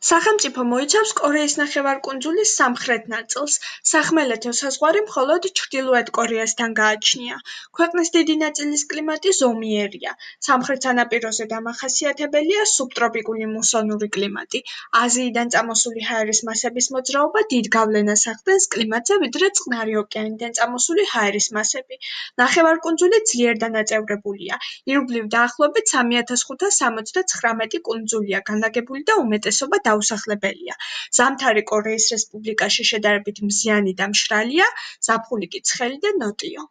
სახელმწიფო მოიცავს კორეის ნახევარკუნძულის სამხრეთ ნაწილს, სახმელეთო საზღვარი მხოლოდ ჩრდილოეთ კორეასთან გააჩნია. ქვეყნის დიდი ნაწილის კლიმატი ზომიერია. სამხრეთ სანაპიროზე დამახასიათებელია სუბტროპიკული მუსონური კლიმატი. აზიიდან წამოსული ჰაერის მასების მოძრაობა დიდ გავლენას ახდენს კლიმატზე, ვიდრე წყნარი ოკეანიდან წამოსული ჰაერის მასები. ნახევარკუნძული ძლიერ დანაწევრებულია. ირგვლივ დაახლოებით 3569 კუნძულია განლაგებული და უმეტესობა დაუსახლებელია. ზამთარი კორეის რესპუბლიკაში შედარებით მზიანი და მშრალია, ზაფხული კი ცხელი და ნოტიო.